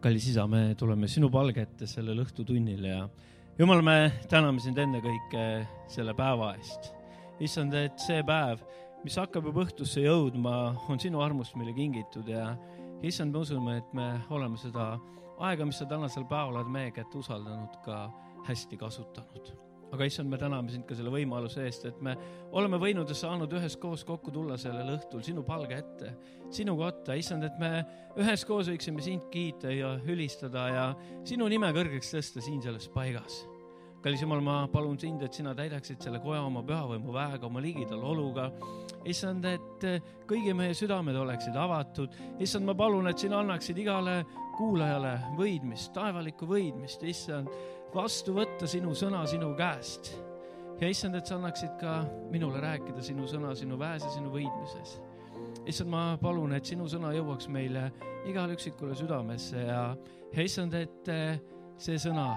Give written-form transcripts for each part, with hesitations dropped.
Kallis isa, me tuleme sinu palge ette sellel õhtutunnil ja Jumal, me täname sind enne kõike selle päeva eest. Issand, et see päev, mis hakkab juba õhtusse jõudma, on sinu armust meile kingitud ja issand, me usume, et me oleme seda aega, mis sa tänasel päeval oled meie kätte usaldanud, ka hästi kasutanud. Aga issand, me täname sind ka selle võimaluse eest, et me oleme võinud ja saanud üheskoos kokku tulla sellel õhtul sinu palge ette, sinu kotta. Issand, et me üheskoos võiksime sind kiita ja ülistada ja sinu nime kõrgeks tõsta siin selles paigas. Kallis Jumal, ma palun sind, et sina täidaksid selle koja oma pühavõimu väega, oma ligidal oluga. Issand, et kõigi meie südamed oleksid avatud. Issand, ma palun, et sina annaksid igale kuulajale võidmist, taevalikku võidmist. Issand, vastu võtta sinu sõna sinu käest. Ja issand, et sa annaksid ka minule rääkida sinu sõna, sinu väes ja sinu võidmises. Issand, ma palun, et sinu sõna jõuaks meile igale üksikule südamesse ja issand, et see sõna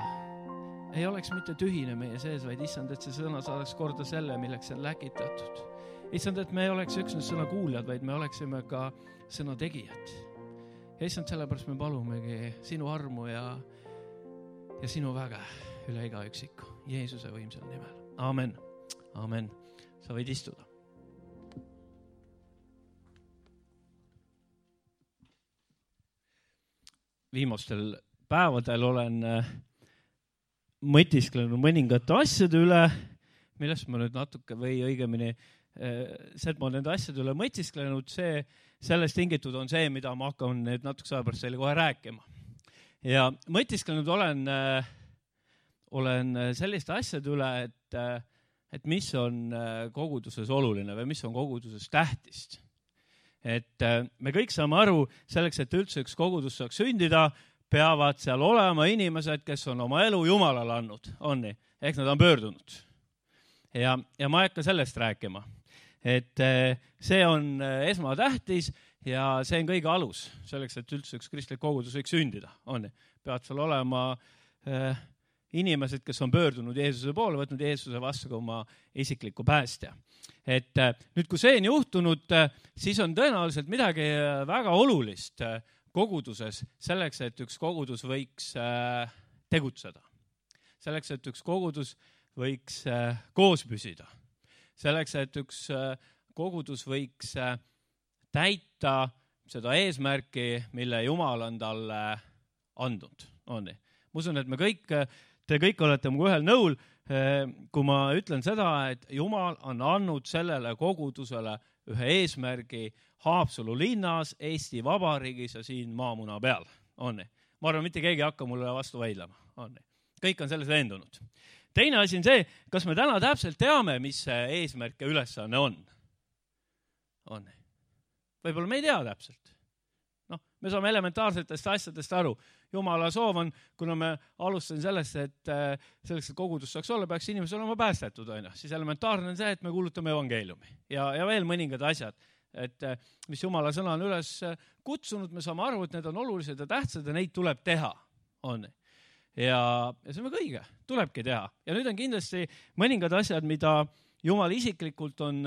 ei oleks mitte tühine meie sees, vaid issand, et see sõna saadaks korda selle, milleks see on läkitatud. Issand, et me ei oleks üksnes sõna kuuljad, vaid me oleksime ka sõna tegijad. Ja issand, sellepärast me palumegi sinu armu ja sinu väge üle iga üksiku. Jeesuse võimsal nimel. Amen. Amen. Sa võid istuda. Viimastel päevadel olen mõtisklenud mõningate asjade üle, millest ma nüüd natuke või õigemini see, et ma nende asjade üle mõtisklenud, sellest tingitud on see, mida ma hakkan nüüd natuke aja pärast teile kohe rääkima. Ja mõtisklenud olen selliste asjade üle, et mis on koguduses oluline või mis on koguduses tähtist. Et me kõik saame aru, selleks, et üldse üks kogudus saaks sündida, peavad seal olema inimesed, kes on oma elu Jumalale andnud, on nii, ehk nad on pöördunud. Ja ma ei hakka sellest rääkima. Et see on esmatähtis ja see on kõige alus selleks, et üldse üks kristlik kogudus võiks sündida. Peavad seal olema inimesed, kes on pöördunud Jeesuse poole, võtnud Jeesuse vastu ka oma isikliku päästja. Et nüüd, kui see on juhtunud, siis on tõenäoliselt midagi väga olulist koguduses selleks, et üks kogudus võiks tegutseda. Selleks, et üks kogudus võiks koos püsida. Selleks, et üks kogudus võiks täita seda eesmärki, mille Jumal on talle andnud. Ma usun, et te kõik olete mu ühel nõul, kui ma ütlen seda, et Jumal on andnud sellele kogudusele ühe eesmärgi Haapsalu linnas, Eesti Vabariigis ja siin maamuna peal. Ma arvan, mitte keegi hakka mulle vastu vaidlema. Kõik on selles veendunud. Teine asi on see, kas me täna täpselt teame, mis see eesmärk ja ülesanne on. Võib-olla me ei tea täpselt. Me saame elementaarsetest asjadest aru. Jumala soov on, kuna me alustasin sellest, et selleks, et kogudus saaks olla, peaks inimesed olema päästetud. Siis elementaarne on see, et me kuulutame evangeeliumi ja veel mõningad asjad, et mis Jumala sõna on üles kutsunud, me saame aru, et need on olulised ja tähtsad ja neid tuleb teha. Ja see on väga õige, tulebki teha. Ja nüüd on kindlasti mõningad asjad, mida Jumal isiklikult on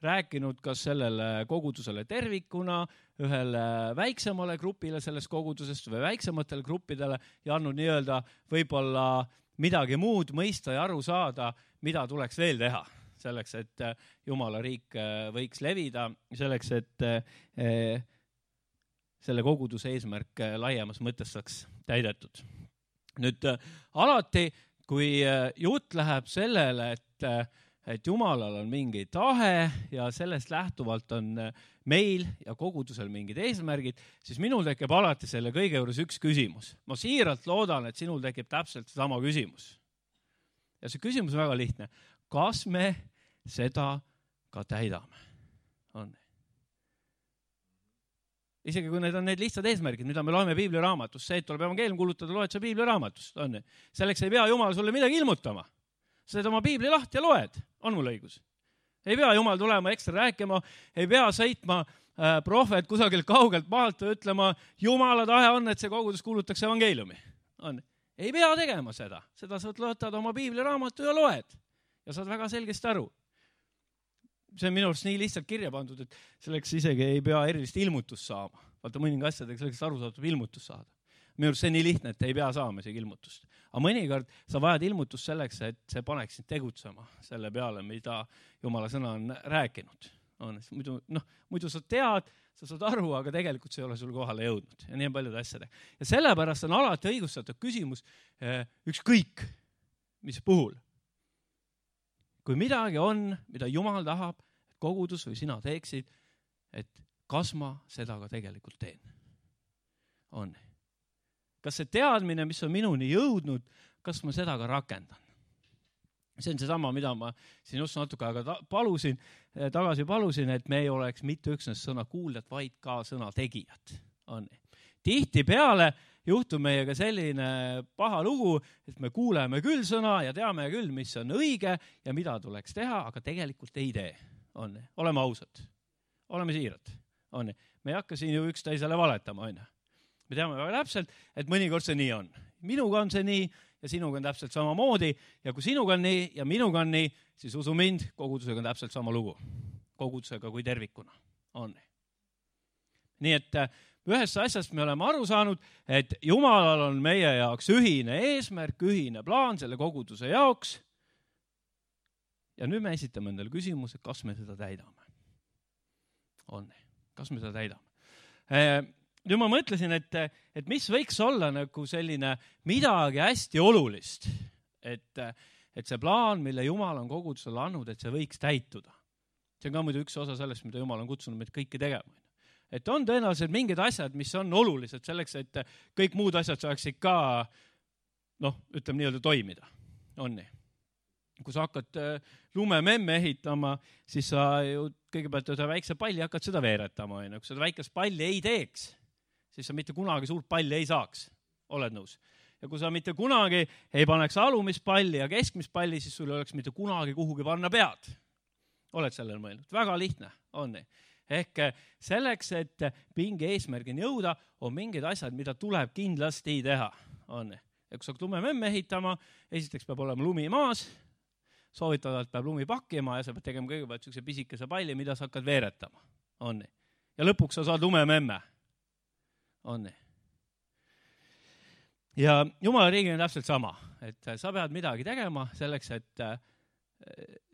rääkinud kas sellele kogudusele tervikuna, ühele väiksemale grupile sellest kogudusest või väiksematele gruppidele ja andnud nii-öelda võib-olla midagi muud mõista ja aru saada, mida tuleks veel teha. Selleks, et Jumala riik võiks levida, selleks, et selle koguduse eesmärk laiemas mõttes saaks täidetud. Nüüd alati, kui jutt läheb sellele, et Jumalal on mingi tahe ja sellest lähtuvalt on meil ja kogudusel mingid eesmärgid, siis minul tekib alati selle kõige juures üks küsimus. Ma siiralt loodan, et sinul tekib täpselt sama küsimus. Ja see küsimus on väga lihtne. Kas me seda ka täidame? Isegi kui need on need lihtsad eesmärgid, mida me loeme Piibliraamatust, see, et tuleb evangeelium kuulutada, loed sa Piibliraamatust. Selleks ei pea Jumal sulle midagi ilmutama. Sa teed oma Piibli lahti ja loed. On mul õigus? Ei pea Jumal tulema ekstra rääkima, ei pea sõitma prohvet kusagilt kaugelt maalt ja ütlema, Jumala tahe on, et see kogudus kuulutaks evangeeliumi. Ei pea tegema seda. Seda sa võtad oma Piibliraamatu ja loed. Ja saad väga selgesti aru. See on minu arust nii lihtsalt kirja pandud, et selleks isegi ei pea erilist ilmutust saama. Vaata mõninga asjadega selleks aru saadab ilmutust saada. Minu arust see nii lihtne, et ei pea saama isegi ilmutust. Aga mõnikord sa vajad ilmutust selleks, et see paneks sind tegutsema selle peale, mida Jumala sõna on rääkinud. Muidu sa tead, sa saad aru, aga tegelikult see ei ole sul kohale jõudnud. Ja nii on paljude asjade. Ja sellepärast on alati õigustatud küsimus ükskõik, mis puhul. Kui midagi on, mida Jumal tahab, et kogudus või sina teeksid, et kas ma seda ka tegelikult teen? On. Kas see teadmine, mis on minuni jõudnud, kas ma seda ka rakendan? See on seesama, mida ma siin just natuke aega tagasi palusin, et me ei oleks mitte üksnes sõna kuuljad, vaid ka sõna tegijad. On. Tihtipeale juhtub meiega selline paha lugu, et me kuuleme küll sõna ja teame küll, mis on õige ja mida tuleks teha, aga tegelikult ei tee. On. Oleme ausad. Oleme siirad. On. Me ei hakka siin ju üksteisele valetama. On. Me teame väga täpselt, et mõnikord see nii on. Minuga on see nii ja sinuga on täpselt samamoodi. Ja kui sinuga on nii ja minuga on nii, siis usu mind, kogudusega on täpselt sama lugu. Kogudusega kui tervikuna. On. Nii et ühest asjast me oleme aru saanud, et Jumalal on meie jaoks ühine eesmärk, ühine plaan selle koguduse jaoks. Ja nüüd me esitame endale küsimuse, kas me seda täidame. On. Kas me seda täidame? Nüüd ma mõtlesin, et mis võiks olla nagu selline midagi hästi olulist, et see plaan, mille Jumal on kogudusele andnud, et see võiks täituda. See on ka muidu üks osa sellest, mida Jumal on kutsunud meid kõike tegema. Et on tõenäoliselt mingid asjad, mis on olulised selleks, et kõik muud asjad saaksid ka, ütleme nii-öelda toimida. On nii. Kui sa hakkad lumememme ehitama, siis sa ju kõigepealt ühe väikse palli hakkad seda veeretama. Kui seda väikest palli ei teeks, siis sa mitte kunagi suurt palli ei saaks. Oled nõus? Ja kui sa mitte kunagi ei paneks alumist palli ja keskmist palli, siis sul ei oleks mitte kunagi kuhugi panna pead. Oled sellel mõelnud? Väga lihtne on nii. Ehk selleks, et mingi eesmärgini jõuda, on mingid asjad, mida tuleb kindlasti teha. On nii. Ja kui sa hakkad lumememme ehitama, esiteks peab olema lumi maas, soovitavalt peab lumi pakkima ja sa pead tegema kõigepealt sellise pisikese palli, mida sa hakkad veeretama. On nii. Ja lõpuks sa saad lumememme. On nii. Ja Jumala riigil on täpselt sama, et sa pead midagi tegema selleks, et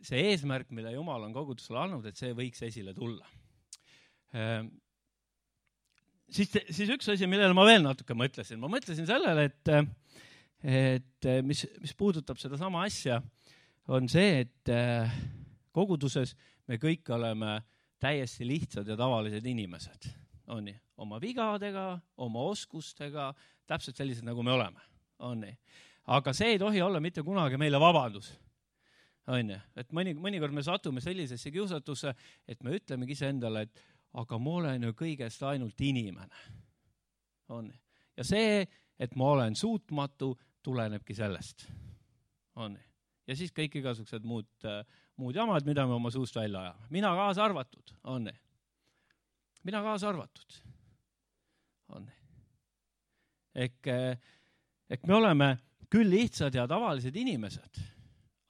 see eesmärk, mille Jumal on kogudusele andnud, et see võiks esile tulla. Siis üks asi, millele ma veel natuke mõtlesin. Ma mõtlesin sellele, et mis puudutab seda sama asja, on see, et koguduses me kõik oleme täiesti lihtsad ja tavalised inimesed. On nii. Oma vigadega, oma oskustega, täpselt sellised, nagu me oleme. On nii. Aga see ei tohi olla mitte kunagi meile vabandus. On nii. Et mõnikord me satume sellisesse kiusatusse, et me ütlemegi ise endale, et aga ma olen ju kõigest ainult inimene. On nii. Ja see, et ma olen suutmatu, tulenebki sellest. On nii. Ja siis kõik igasugused muud jamad, mida me oma suust välja ajame. Mina kaasa arvatud, on nii. Mina kaasa arvatud, on nii. Ehk me oleme küll lihtsad ja tavalised inimesed,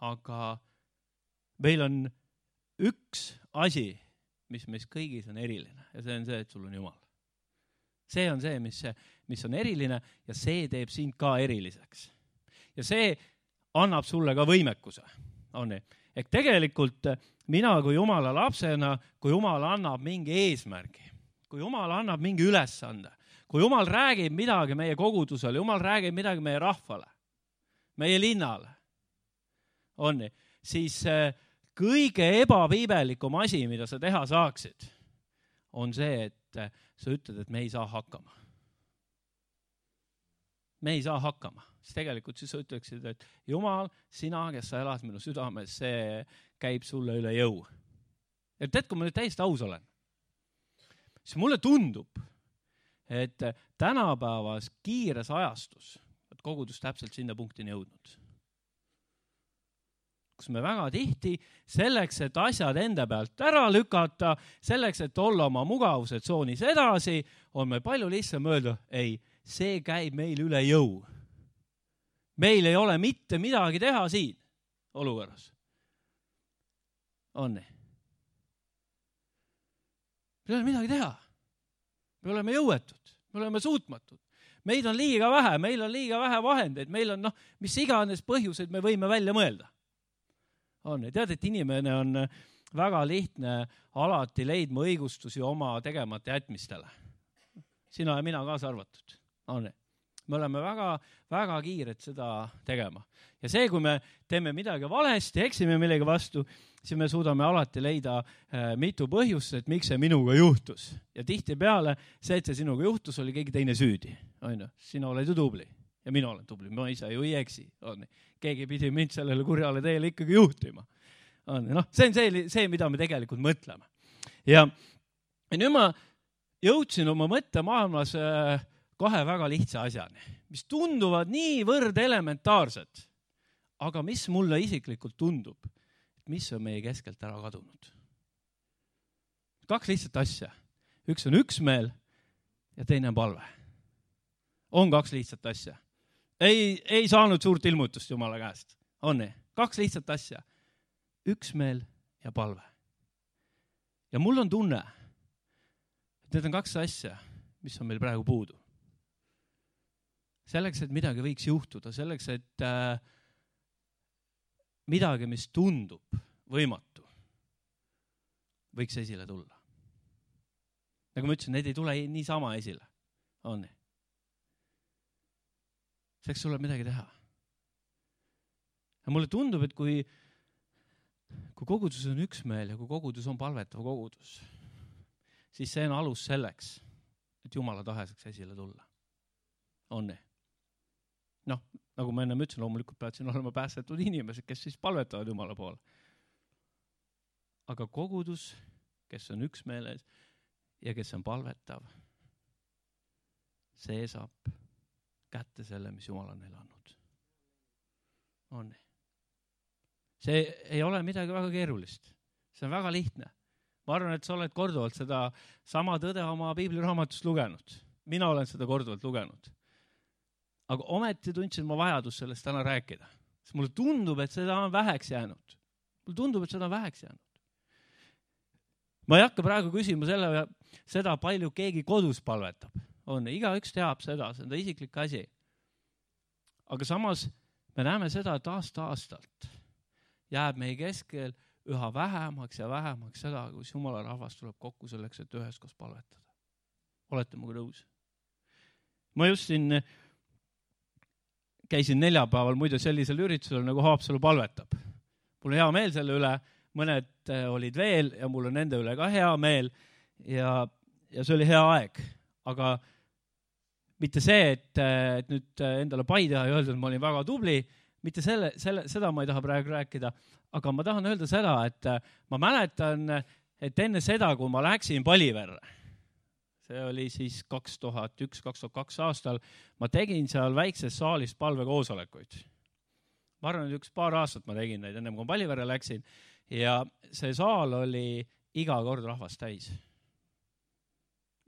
aga meil on üks asi, mis meis kõigis on eriline ja see on see, et sul on Jumal. See on see, mis on eriline ja see teeb sind ka eriliseks. Ja see annab sulle ka võimekuse. On nii. Ehk tegelikult mina kui Jumala lapsena, kui Jumal annab mingi eesmärgi, kui Jumal annab mingi ülesande, kui Jumal räägib midagi meie kogudusele, Jumal räägib midagi meie rahvale, meie linnale, on nii, siis kõige ebapiibelikum asi, mida sa teha saaksid, on see, et sa ütled, et me ei saa hakkama. Me ei saa hakkama. Siis tegelikult siis sa ütleksid, et Jumal, sina, kes sa elad minu südames, see käib sulle üle jõu. Ja tead, kui ma nüüd täiesti aus olen, siis mulle tundub, et tänapäevas kiires ajastus, et kogudus täpselt sinna punktini jõudnud. Kus me väga tihti selleks, et asjad enda pealt ära lükata, selleks, et olla oma mugavuse tsoonis edasi, on meil palju lihtsam öelda, ei, see käib meil üle jõu. Meil ei ole mitte midagi teha siin olukorras. On nii. Meil ei ole midagi teha. Me oleme jõuetud, me oleme suutmatud. Meid on liiga vähe, meil on liiga vähe vahendeid, meil on mis iganes põhjuseid me võime välja mõelda. Tead, et inimene on väga lihtne alati leidma õigustusi oma tegemata jätmistele. Sina ja mina kaasa arvatud. Me oleme väga, väga kiired seda tegema. Ja see, kui me teeme midagi valesti, eksime millegi vastu, siis me suudame alati leida mitu põhjust, et miks see minuga juhtus. Ja tihtipeale see, et see sinuga juhtus, oli keegi teine süüdi. Sina oled ju tubli ja mina olen tubli. Ma ise ju ei eksi. Keegi pidi mind sellele kurjale teele ikkagi juhtima. See on see, mida me tegelikult mõtleme. Ja nüüd ma jõudsin oma mõttemaailmas kahe väga lihtsa asjani, mis tunduvad niivõrd elementaarsed, aga mis mulle isiklikult tundub, mis on meie keskelt ära kadunud. Kaks lihtsat asja. Üks on üksmeel ja teine on palve. On kaks lihtsat asja. Ei saanud suurt ilmutust Jumala käest. On nii? Kaks lihtsat asja. Üksmeel ja palve. Ja mul on tunne, et need on kaks asja, mis on meil praegu puudu. Selleks, et midagi võiks juhtuda, selleks, et midagi, mis tundub võimatu, võiks esile tulla. Nagu ma ütlesin, need ei tule niisama esile. On nii? Selleks tuleb midagi teha. Ja mulle tundub, et kui kogudus on üksmeel ja kui kogudus on palvetav kogudus, siis see on alus selleks, et Jumala tahe saaks esile tulla. On nii? Nagu ma enne ütlesin, loomulikult peavad siin olema päästetud inimesed, kes siis palvetavad Jumala poole. Aga kogudus, kes on üksmeeles ja kes on palvetav, see saab kätte selle, mis Jumal on neile andnud. On nii? See ei ole midagi väga keerulist. See on väga lihtne. Ma arvan, et sa oled korduvalt seda sama tõde oma piibliraamatust lugenud. Mina olen seda korduvalt lugenud. Aga ometi tundsin ma vajadus sellest täna rääkida. Sest mulle tundub, et seda on väheks jäänud. Ma ei hakka praegu küsima seda palju keegi kodus palvetab. Igaüks teab seda, see on ta isiklik asi. Aga samas me näeme seda, et aasta-aastalt jääb meie keskel üha vähemaks ja vähemaks seda, kus Jumala rahvas tuleb kokku selleks, et üheskoos palvetada. Olete muga nõus? Ma just siin käisin neljapäeval muide sellisel üritusel, nagu Haapsalu palvetab. Mul on hea meel selle üle, mõned olid veel ja mul on nende üle ka hea meel ja see oli hea aeg. Aga mitte see, et nüüd endale pai teha ja öelda, et ma olin väga tubli, mitte seda ma ei taha praegu rääkida, aga ma tahan öelda seda, et ma mäletan, et enne seda, kui ma läksin Paliverre, see oli siis 2001-2002 aastal, ma tegin seal väikses saalis palvekoosolekuid. Ma arvan, et üks paar aastat ma tegin neid, enne kui ma Paliverre läksin ja see saal oli iga kord rahvast täis.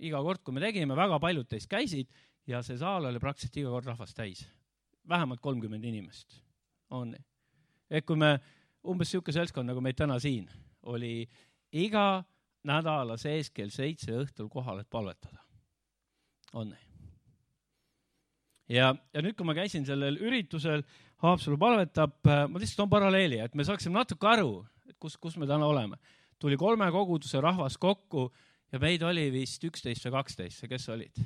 Iga kord, kui me tegime, väga paljud teist käisid ja see saal oli praktiliselt iga kord rahvast täis. Vähemalt 30 inimest. On nii. Et kui me umbes siuke seltskond, nagu meid täna siin, oli iga nädala sees kell 7 õhtul kohal, et palvetada. On nii. Ja nüüd, kui ma käisin sellel üritusel, Haapsalu palvetab, ma lihtsalt on paralleeli, et me saaksime natuke aru, et kus me täna oleme. Tuli 3 koguduse rahvas kokku ja meid oli vist 11 või 12, kes olid?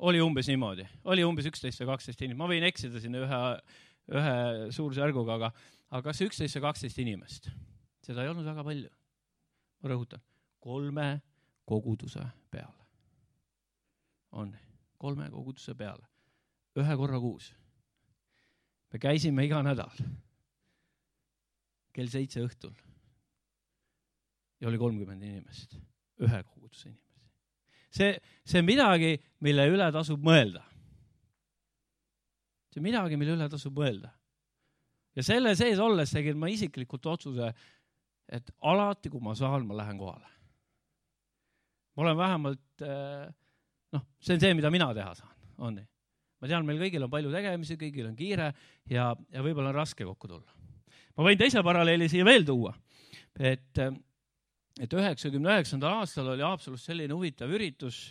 Oli umbes niimoodi. Oli umbes 11 või 12 inimest. Ma võin eksida sinna ühe suursärguga, aga kas 11 või 12 inimest? Seda ei olnud väga palju. Ma rõhutan, 3 koguduse peale. On 3 koguduse peale. 1 korra kuus. Me käisime iga nädal. Kell 7 õhtul. Ja oli 30 inimest. 1 koguduse inimest. See on midagi, mille üle tasub mõelda. See on midagi, mille üle tasub mõelda. Ja selle sees olles tegin ma isiklikult otsuse, et alati, kui ma saan, ma lähen kohale. Ma olen vähemalt, see on see, mida mina teha saan. On nii. Ma tean, meil kõigil on palju tegemisi, kõigil on kiire ja võib-olla on raske kokku tulla. Ma võin teise paralleeli siia veel tuua, et 99. aastal oli Haapsalus selline huvitav üritus,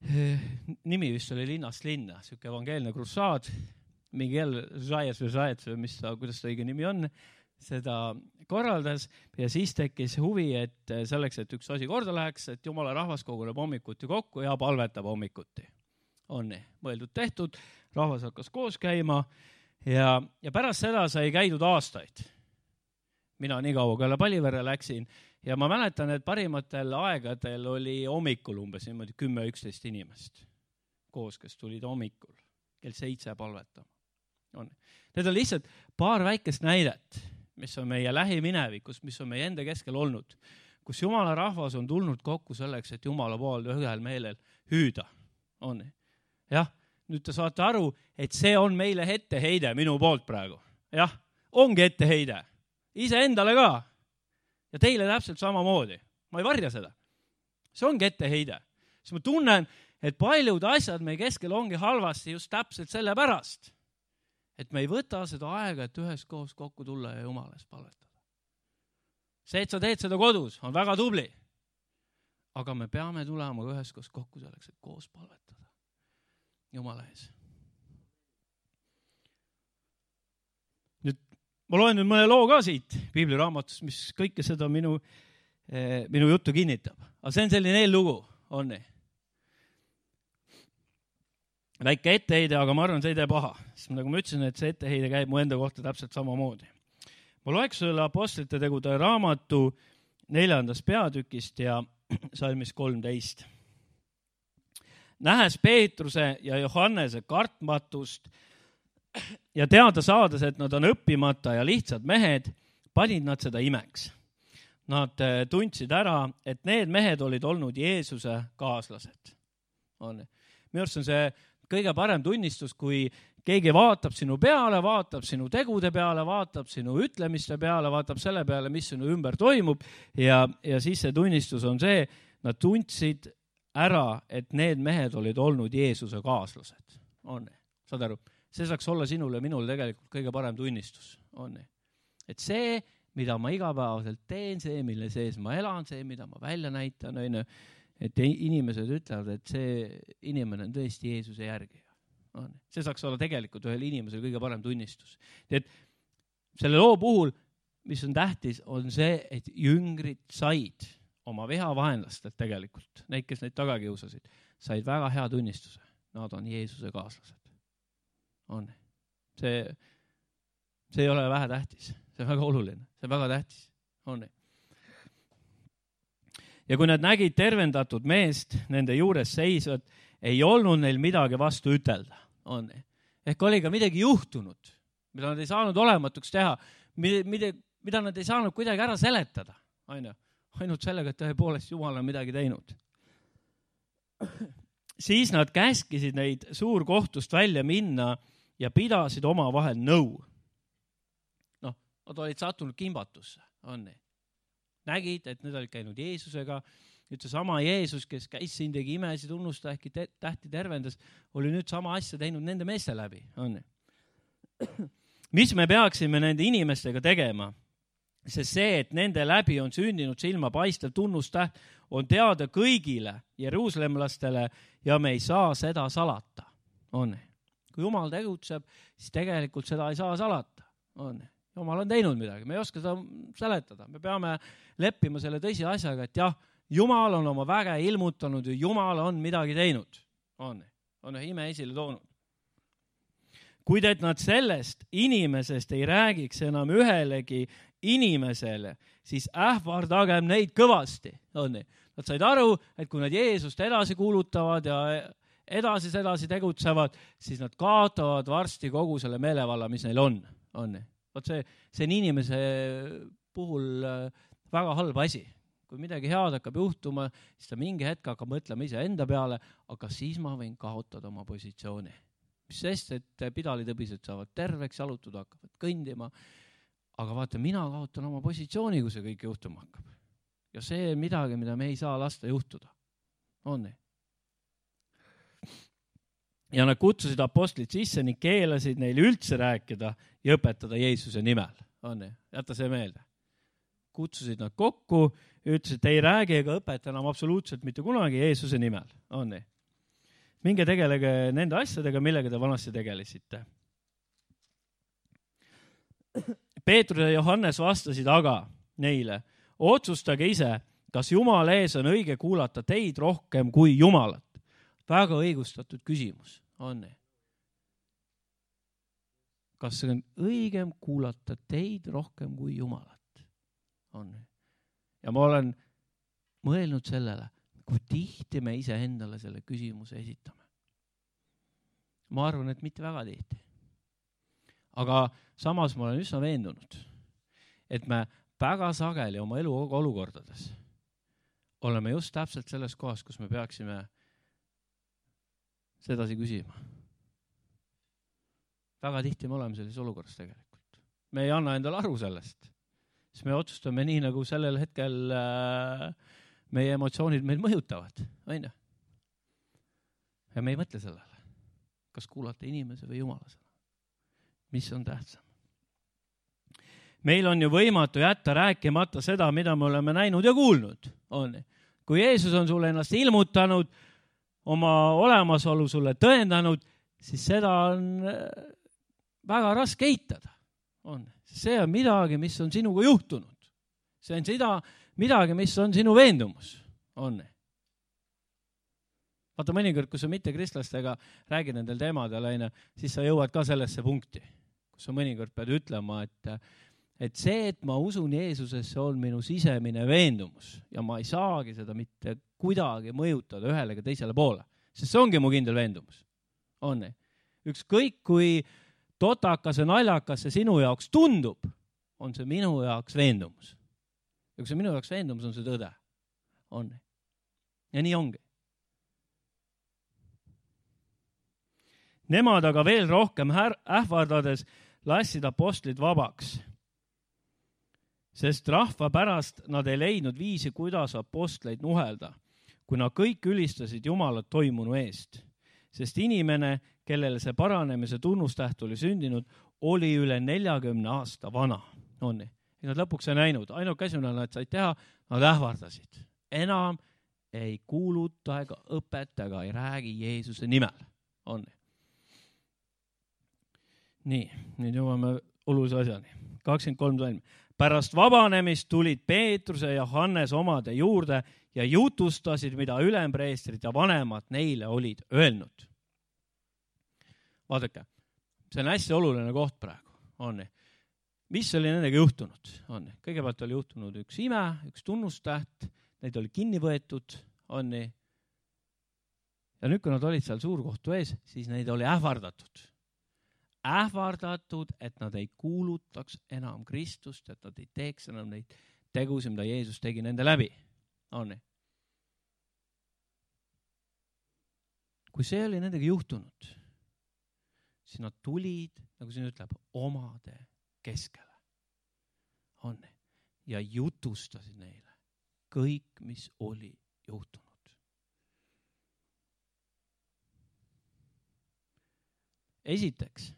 nimi vist oli Linnast linna, siuke evangeelne krussaad, mingi jälle kuidas ta õige nimi on, seda korraldas ja siis tekkis huvi, et selleks, et üks asi korda läheks, et Jumala rahvas koguneb hommikuti kokku ja palvetab hommikuti. On nii, mõeldud tehtud, rahvas hakkas koos käima ja pärast seda sai käidud aastaid. Mina nii kaua peale Palivere läksin ja ma mäletan, et parimatel aegadel oli hommikul umbes 10-11 inimest koos, kes tulid hommikul kell 7 palvetama. Need on lihtsalt paar väikest näidet, mis on meie lähiminevikus, mis on meie enda keskel olnud, kus Jumala rahvas on tulnud kokku selleks, et Jumala pool ühel meelel hüüda. On. Jah, nüüd te saate aru, et see on meile etteheide minu poolt praegu. Jah, ongi etteheide. Ise endale ka. Ja teile täpselt samamoodi. Ma ei varja seda. See ongi etteheide. Siis ma tunnen, et paljud asjad meie keskel ongi halvasti just täpselt selle pärast, et me ei võta seda aega, et üheskoos kokku tulla ja Jumalas palvetada. See, et sa teed seda kodus, on väga tubli. Aga me peame tulema üheskoos kokku selleks, et koos palvetada Jumala ees. Nüüd, ma loen nüüd mõne loo ka siit Piibliraamatust, mis kõike seda minu juttu kinnitab. Aga see on selline eellugu, on nii. Väike etteheide, aga ma arvan, see ei tee paha. Sest nagu ma ütlesin, et see etteheide käib mu enda kohta täpselt samamoodi. Ma loeks sulle Apostlite tegude raamatu 4. peatükist ja salmist 13. Nähes Peetruse ja Johannese kartmatust ja teada saades, et nad on õppimata ja lihtsad mehed, panid nad seda imeks. Nad tundsid ära, et need mehed olid olnud Jeesuse kaaslased. Minu arust on see kõige parem tunnistus, kui keegi vaatab sinu peale, vaatab sinu tegude peale, vaatab sinu ütlemiste peale, vaatab selle peale, mis sinu ümber toimub ja siis see tunnistus on see, nad tundsid ära, et need mehed olid olnud Jeesuse kaaslased. Saad aru? See saaks olla sinule ja minule tegelikult kõige parem tunnistus. Et see, mida ma igapäevaselt teen, see, mille sees ma elan, see, mida ma välja näitan, et inimesed ütlevad, et see inimene on tõesti Jeesuse järgija. See saaks olla tegelikult ühel inimesel kõige parem tunnistus. Et selle loo puhul, mis on tähtis, on see, et jüngrid said oma vihavaenlastelt tegelikult, neid, kes neid taga kiusasid, said väga hea tunnistuse. Nad on Jeesuse kaaslased. See ei ole vähe tähtis. See on väga oluline. See on väga tähtis. Ja kui nad nägid tervendatud meest nende juures seisvad, ei olnud neil midagi vastu ütelda. Ehk oli ka midagi juhtunud, mida nad ei saanud olematuks teha, mida nad ei saanud kuidagi ära seletada. Ainult sellega, et tõepoolest Jumal on midagi teinud. Siis nad käskisid neid suurkohtust välja minna ja pidasid oma vahel nõu. Nad olid sattunud kimbatusse. Nägid, et need olid käinud Jeesusega. Nüüd see sama Jeesus, kes käis siin, tegi imesid, unnusta, äkki tähti tervendas, oli nüüd sama asja teinud nende meeste läbi. Mis me peaksime nende inimestega tegema? Sest see, et nende läbi on sündinud silma paistev tunnustäht, on teada kõigile jeruusalemlastele ja me ei saa seda salata. Kui Jumal tegutseb, siis tegelikult seda ei saa salata. Jumal on teinud midagi, me ei oska seda seletada. Me peame leppima selle tõsi asjaga, et jah, Jumal on oma väge ilmutanud ja Jumal on midagi teinud. On ime esile toonud. Kuid et nad sellest inimesest ei räägiks enam ühelegi inimesele, siis ähvardagem neid kõvasti. Nad said aru, et kui nad Jeesust edasi kuulutavad ja edasi tegutsevad, siis nad kaotavad varsti kogu selle meelevalla, mis neil on. See on inimese puhul väga halb asi. Kui midagi head hakkab juhtuma, siis ta mingi hetk hakkab mõtlema ise enda peale, aga siis ma võin kaotada oma positsiooni. Mis sest, et pidalitõbised saavad terveks, jalutud hakkavad kõndima, aga vaata, mina kaotan oma positsiooni, kui see kõik juhtuma hakkab. Ja see on midagi, mida me ei saa lasta juhtuda. On nii? Ja nad kutsusid apostlid sisse ning keelasid neile üldse rääkida ja õpetada Jeesuse nimel. Jäta see meelde. Kutsusid nad kokku, ütlesid, et ei räägi ega õpeta enam absoluutselt mitte kunagi Jeesuse nimel. minge tegelege nende asjadega, millega te vanasti tegelesite. Peetrus ja Johannes vastasid aga neile, otsustage ise, kas Jumala ees on õige kuulata teid rohkem kui Jumalat. Väga õigustatud küsimus on. Kas on õigem kuulata teid rohkem kui Jumalat? On. Ja ma olen mõelnud sellele, kui tihti me ise endale selle küsimuse esitame. Ma arvan, et mitte väga tihti. Aga samas ma olen üsna veendunud, et me väga sageli oma elu olukordades oleme just täpselt selles kohas, kus me peaksime sedasi küsima. Väga tihti me oleme selles olukorras tegelikult. Me ei anna endale aru sellest. Siis me otsustame nii, nagu sellel hetkel meie emotsioonid meil mõjutavad. Aina. Ja me ei mõtle sellele. Kas kuulata inimese või Jumala sõna? Mis on tähtsam? Meil on ju võimatu jätta rääkimata seda, mida me oleme näinud ja kuulnud. On. Kui Jeesus on sulle ennast ilmutanud, oma olemasolu sulle tõendanud, siis seda on väga raske eitada. On. See on midagi, mis on sinuga juhtunud. See on midagi, mis on sinu veendumus. On. Vaata mõnikord, kui sa mitte kristlastega räägid nendel teemadel, siis sa jõuad ka sellesse punkti, kus sa mõnikord pead ütlema, et see, et ma usun Jeesusesse, on minu sisemine veendumus ja ma ei saagi seda mitte kuidagi mõjutada ühele ega teisele poole, sest see ongi mu kindel veendumus. On. Ükskõik kui totakas ja naljakas see sinu jaoks tundub, on see minu jaoks veendumus. Ja kui see minu jaoks veendumus, on see tõde. On. Ja nii ongi. Nemad aga veel rohkem ähvardades lassid apostlid vabaks, sest rahva pärast nad ei leidnud viisi, kuidas apostleid nuhelda, kui nad kõik ülistasid Jumalat toimunu eest. Sest inimene, kellele see paranemise tunnustäht oli sündinud, oli üle 40 aasta vana. On. Ja nad lõpuks ei näinud. Ainult käsuna nad said teha, nad ähvardasid. Enam ei kuuluta ega õpeta ega ei räägi Jeesuse nimel. On. Nii, nüüd jõuame olulise asjani. 23 salm. Pärast vabanemist tulid Peetruse ja Johannes omade juurde ja jutustasid, mida ülempreestrid ja vanemad neile olid öelnud. Vaadake, see on hästi oluline koht praegu. On. Mis oli nendega juhtunud? On. Kõigepealt oli juhtunud üks ime, üks tunnustäht, neid oli kinni võetud. On. Ja nüüd, kui nad olid seal suurkohtu ees, siis neid oli ähvardatud. Ähvardatud, et nad ei kuulutaks enam Kristust, et nad ei teeks enam neid tegusid, mida Jeesus tegi nende läbi. On. Kui see oli nendega juhtunud, siis nad tulid, nagu siin ütleb, omade keskele. On. Ja jutustasid neile kõik, mis oli juhtunud. Esiteks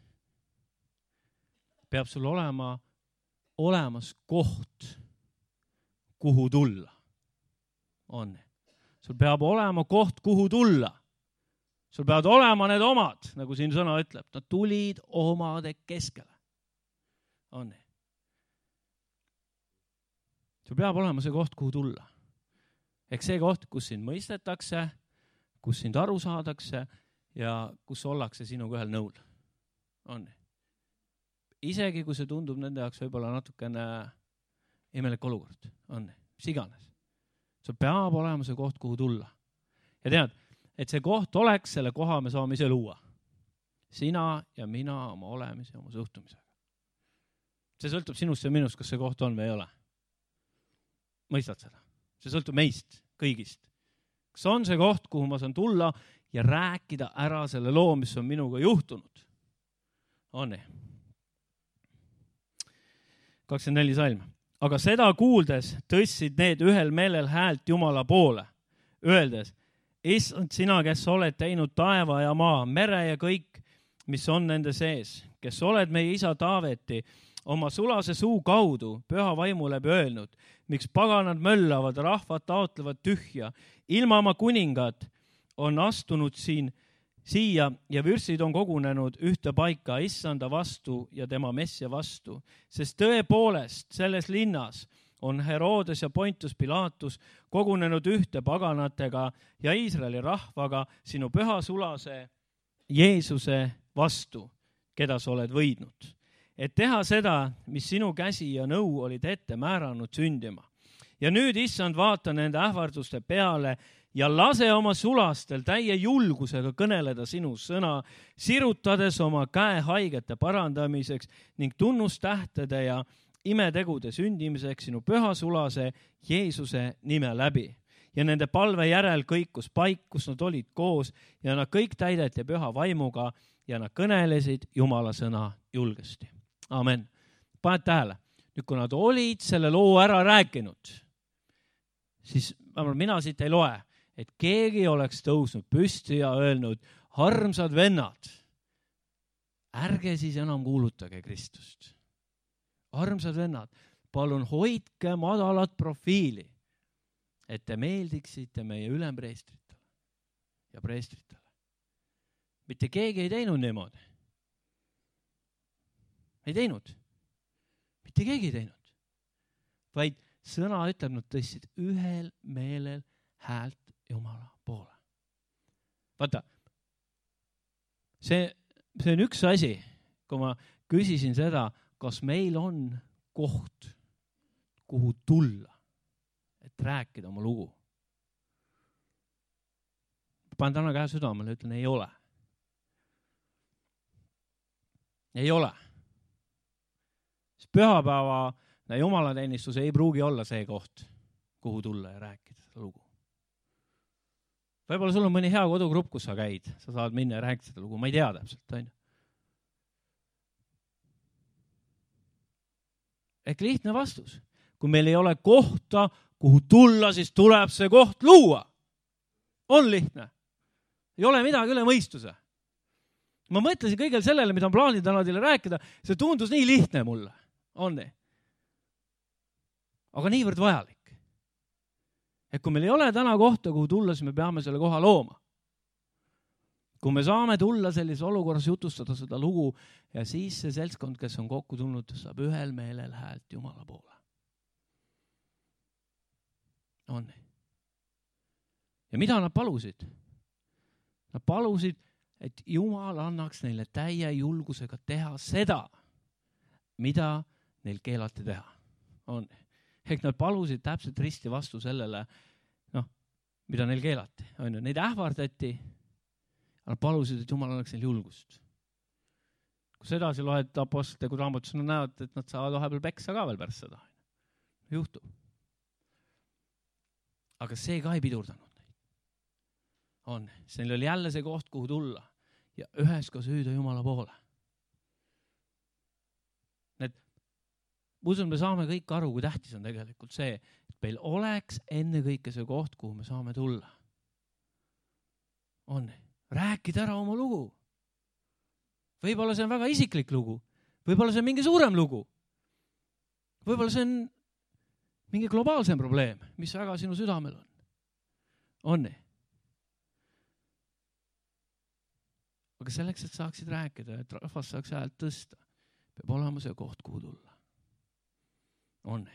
peab sul olemas koht, kuhu tulla. On. Sul peab olema koht, kuhu tulla. Sul peavad olema need omad, nagu siin sõna ütleb. Nad tulid omade keskele. On. Sul peab olema see koht, kuhu tulla. Ehk see koht, kus sind mõistetakse, kus sind aru saadakse ja kus ollakse sinuga ühel nõul. On. Isegi kui see tundub nende jaoks võib-olla natukene imelik olukord. On. Mis iganes. Sul peab olema see koht, kuhu tulla. Ja tead, et see koht oleks, selle koha me saame ise luua. Sina ja mina oma olemise ja oma suhtumisega. See sõltub sinust ja minust, kas see koht on või ei ole. Mõistad seda? See sõltub meist, kõigist. Kas on see koht, kuhu ma saan tulla ja rääkida ära selle loo, mis on minuga juhtunud? On. 24 salm. Aga seda kuuldes tõstsid need ühel meelel häält Jumala poole, öeldes, Issand, sina, kes oled teinud taeva ja maa, mere ja kõik, mis on nende sees, kes oled meie isa Taaveti oma sulase suu kaudu püha vaimu läbi öelnud, miks paganad möllavad, rahvad taotlevad tühja, ilma oma kuningad on astunud siin siia ja vürstid on kogunenud ühte paika issanda vastu ja tema messia vastu, sest tõepoolest selles linnas on Herodes ja Pontus Pilatus kogunenud ühte paganatega ja Iisraeli rahvaga sinu püha sulase Jeesuse vastu, keda sa oled võidnud, et teha seda, mis sinu käsi ja nõu olid ette määranud sündima. Ja nüüd, issand, vaata nende ähvarduste peale ja lase oma sulastel täie julgusega kõneleda sinu sõna, sirutades oma käe haigete parandamiseks ning tunnustähtede ja imetegude sündimiseks sinu püha sulase Jeesuse nime läbi. Ja nende palve järel kõikus paik, kus nad olid koos ja nad kõik täideti püha vaimuga ja nad kõnelesid Jumala sõna julgesti. Amen. Paned tähele, nüüd kui nad olid selle loo ära rääkinud, siis mina siit ei loe, et keegi oleks tõusnud püsti ja öelnud, armsad vennad, ärge siis enam kuulutage Kristust. Armsad vennad, palun hoidke madalat profiili, et te meeldiksite meie ülempreestritele ja preestritele. Mitte keegi ei teinud niimoodi. Ei teinud. Mitte keegi ei teinud. Vaid sõna ütleb, nad tõstsid ühel meelel häält Jumala poole. Vaata, see on üks asi, kui ma küsisin seda, kas meil on koht, kuhu tulla, et rääkida oma lugu. Panen täna käe südamele ja ütlen, ei ole. Ei ole. Pühapäeva jumalateenistus ei pruugi olla see koht, kuhu tulla ja rääkida seda lugu. Võib-olla sul on mõni hea kodugrupp, kus sa käid, sa saad minna ja rääkida seda lugu, ma ei tea täpselt, on ju. Ehk lihtne vastus. Kui meil ei ole kohta, kuhu tulla, siis tuleb see koht luua. On lihtne. Ei ole midagi üle mõistuse. Ma mõtlesin kõigel sellele, mida on plaanid täna teile rääkida, see tundus nii lihtne mulle. On nii? Aga niivõrd vajalik. Et kui meil ei ole täna kohta, kuhu tulla, siis me peame selle koha looma. Kui me saame tulla sellise olukorras jutustada seda lugu ja siis see seltskond, kes on kokku tulnud, saab ühel meelel häält Jumala poole. On nii? Ja mida nad palusid? Nad palusid, et Jumal annaks neile täie julgusega teha seda, mida neil keelati teha. On. Ehk nad palusid täpselt risti vastu sellele, mida neil keelati. On. Neid ähvardati, nad palusid, et Jumal annaks neil julgust. Kui sedasi loed apostlite raamatus, nad näevad, et nad saavad vahepeal peksa ka veel pärast seda. Juhtub. Aga see ka ei pidurdanud neid. On. See oli jälle see koht, kuhu tulla ja üheskoos hüüda Jumala poole. Usun, me saame kõik aru, kui tähtis on tegelikult see, et meil oleks enne kõike see koht, kuhu me saame tulla. On. Rääkida ära oma lugu. Võib-olla see on väga isiklik lugu. Võib-olla see on mingi suurem lugu. Võib-olla see on mingi globaalsem probleem, mis väga sinu südamel on. On. Aga selleks, et saaksid rääkida, et rahvas saaks häält tõsta, peab olema see koht, kuhu tulla. On.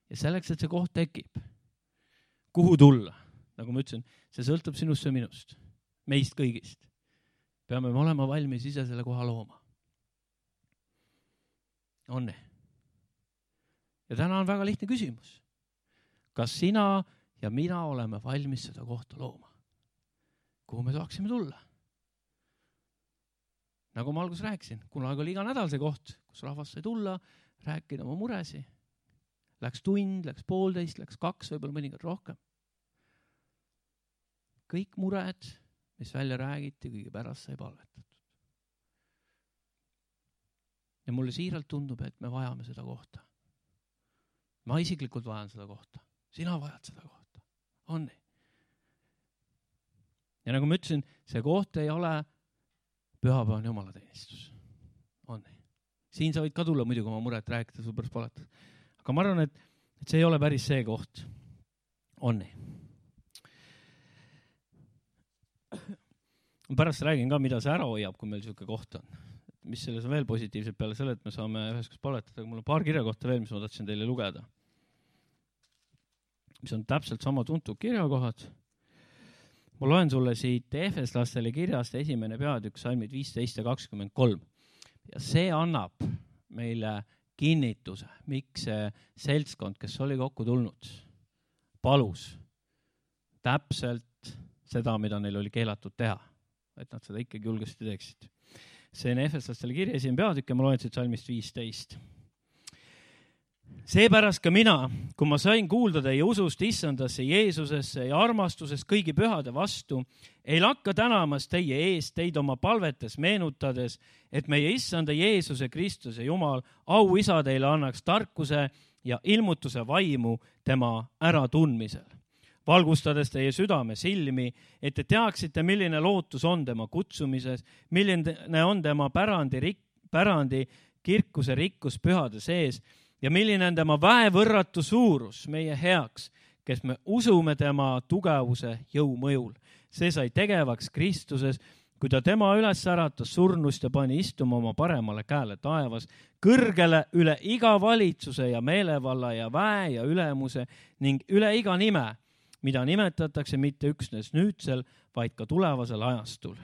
Ja selleks, et see koht tekib, kuhu tulla, nagu ma ütlesin, see sõltub sinust ja minust, meist kõigist. Peame me olema valmis ise selle koha looma. On. Ja täna on väga lihtne küsimus. Kas sina ja mina oleme valmis seda kohta looma? Kuhu me saaksime tulla? Nagu ma alguses rääkisin, kunagi oli iga nädal see koht, kus rahvas sai tulla, rääkida oma muresi. Läks tund, läks 1,5, läks 2, võib-olla mõnikord rohkem. Kõik mured, mis välja räägiti, kõige pärast sai palvetatud. Ja mulle siiralt tundub, et me vajame seda kohta. Ma isiklikult vajan seda kohta. Sina vajad seda kohta. On nii? Ja nagu ma ütlesin, see koht ei ole pühapäevane jumalateenistus. On nii? Siin sa võid ka tulla muidugi oma muret rääkida, sul pärast palatud. Aga ma arvan, et see ei ole päris see koht. On nii. pärast räägin ka, mida see ära hoiab, kui meil selline koht on. Mis selles on veel positiivselt peale selle, et me saame üheskoos palvetada, aga mul on paar kirja kohta veel, mis ma tahtsin teile lugeda. Mis on täpselt sama tuntud kirjakohad. Ma loen sulle siit Efeslastele kirjast 1. peatükk, salmid 15 ja 23. Ja see annab meile kinnituse, miks see seltskond, kes oli kokku tulnud, palus täpselt seda, mida neil oli keelatud teha. Et nad seda ikkagi julgesti teeksid. See on Efeslastele kirja 1. peatükk ja ma loen siit salmist 15. Seepärast ka mina, kui ma sain kuulda teie usust Issandasse, Jeesusesse ja armastusest kõigi pühade vastu, ei lakka tänamas teie eest teid oma palvetes meenutades, et meie Issanda Jeesuse Kristuse Jumal, au isa teile annaks tarkuse ja ilmutuse vaimu tema äratundmisel. Valgustades teie südame silmi, et te teaksite, milline lootus on tema kutsumises, milline on tema pärandi kirkuse rikkus pühade sees ja milline on tema väevõrratu suurus meie heaks, kes me usume tema tugevuse jõumõjul. See sai tegevaks Kristuses, kui ta tema üles äratas surnust ja pani istuma oma paremale käele taevas, kõrgele üle iga valitsuse ja meelevalla ja väe ja ülemuse ning üle iga nime, mida nimetatakse mitte üksnes nüüdsel, vaid ka tulevasel ajastul.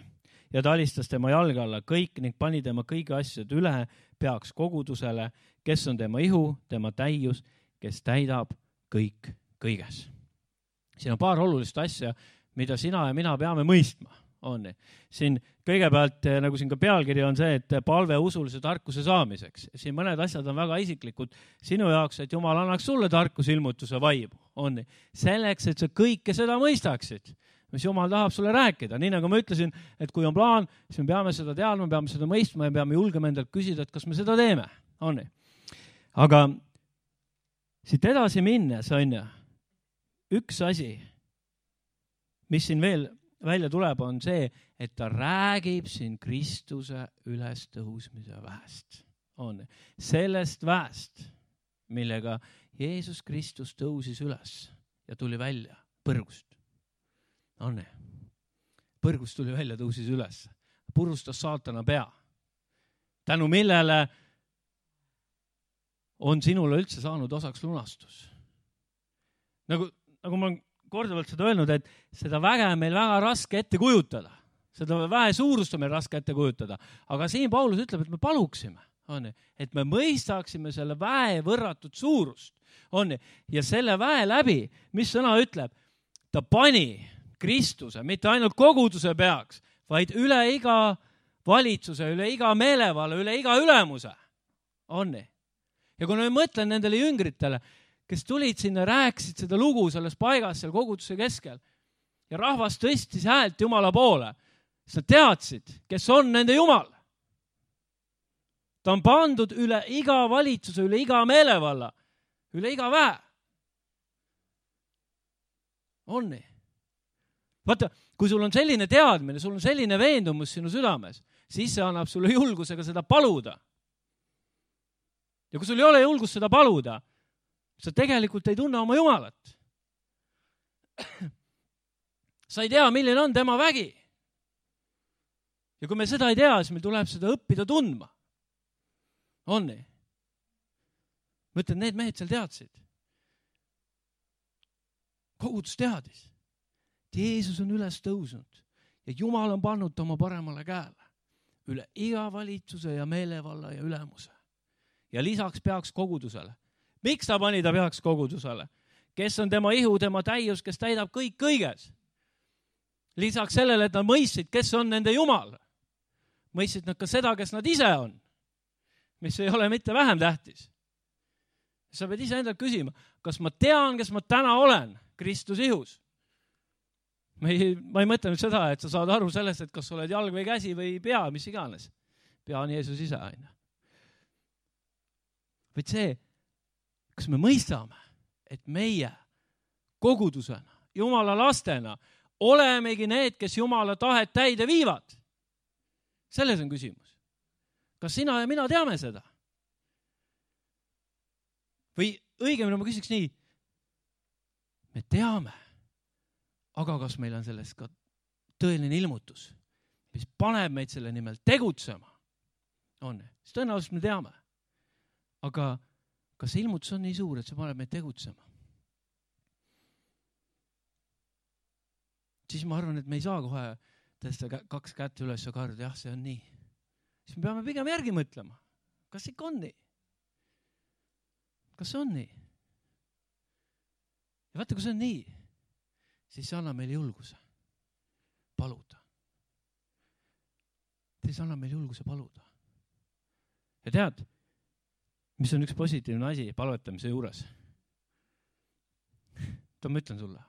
Ja ta alistas tema jalge alla kõik ning pani tema kõigi asjad üle peaks kogudusele, kes on tema ihu, tema täius, kes täidab kõik kõiges. Siin on paar olulist asja, mida sina ja mina peame mõistma. Siin kõigepealt, nagu siin ka pealkiri on see, et palve usulise tarkuse saamiseks. Siin mõned asjad on väga isiklikud sinu jaoks, et Jumal annaks sulle tarkuse ilmutuse vaimu. Selleks, et sa kõike seda mõistaksid, mis Jumal tahab sulle rääkida. Nii nagu ma ütlesin, et kui on plaan, siis me peame seda teadma, me peame seda mõistma ja peame julgema endalt küsida, et kas me seda teeme. Aga siit edasi minnes on üks asi, mis siin veel välja tuleb, on see, et ta räägib siin Kristuse ülestõusmise väest. Sellest väest, millega Jeesus Kristus tõusis üles ja tuli välja põrgust. Põrgust tuli välja, tõusis üles. Purustas saatana pea. Tänu millele on sinule üldse saanud osaks lunastus. Nagu ma olen korduvalt seda öelnud, et seda väge on meil väga raske ette kujutada. Seda väe suurust on meil raske ette kujutada. Aga siin Paulus ütleb, et me paluksime, et me mõistaksime selle väe võrratut suurust. Ja selle väe läbi, mis sõna ütleb, ta pani Kristuse, mitte ainult koguduse peaks, vaid üle iga valitsuse, üle iga meelevalla, üle iga ülemuse. Ja kui ma mõtlen nendele jüngritele, kes tulid sinna, rääkisid seda lugu selles paigas, seal koguduse keskel ja rahvas tõstis häält Jumala poole, siis nad teadsid, kes on nende Jumal. Ta on pandud üle iga valitsuse, üle iga meelevalla, üle iga väe. On nii? Vaata, kui sul on selline teadmine, sul on selline veendumus sinu südames, siis see annab sulle julgusega seda paluda. Ja kui sul ei ole julgust seda paluda, sa tegelikult ei tunne oma Jumalat. Sa ei tea, milline on tema vägi. Ja kui me seda ei tea, siis meil tuleb seda õppida tundma. On nii? Ma ütlen, need mehed seal teadsid. Kogudus teadis. Jeesus on üles tõusnud ja Jumal on pannud oma paremale käele üle iga valitsuse ja meelevalla ja ülemuse. Ja lisaks peaks kogudusele. Miks ta pani ta peaks kogudusele? Kes on tema ihu, tema täius, kes täidab kõik kõiges? Lisaks sellele, et nad mõistsid, kes on nende Jumal. Mõistsid nad ka seda, kes nad ise on, mis ei ole mitte vähem tähtis. Sa pead ise endalt küsima, kas ma tean, kes ma täna olen Kristus ihus? Ma ei mõtle nüüd seda, et sa saad aru sellest, et kas oled jalg või käsi või pea, mis iganes. Pea on Jeesus ise aina. Vaid see, kas me mõistame, et meie kogudusena, Jumala lastena, olemegi need, kes Jumala tahet täide viivad? Selles on küsimus. Kas sina ja mina teame seda? Või õigemini ma küsiks nii, me teame, aga kas meil on sellest ka tõeline ilmutus, mis paneb meid selle nimel tegutsema, on, siis tõenäoliselt me teame. Aga kas see ilmutus on nii suur, et see paneb meid tegutsema? Siis ma arvan, et me ei saa kohe tõsta 2 kätt üles ja karda, jah, see on nii. Siis me peame pigem järgi mõtlema. Kas ikka on nii? Kas see on nii? Ja vaata, kui see on nii, siis see annab meile julguse paluda. Siis annab meile julguse paluda. Ja tead, mis on üks positiivne asi palvetamise juures? Ma ütlen sulle.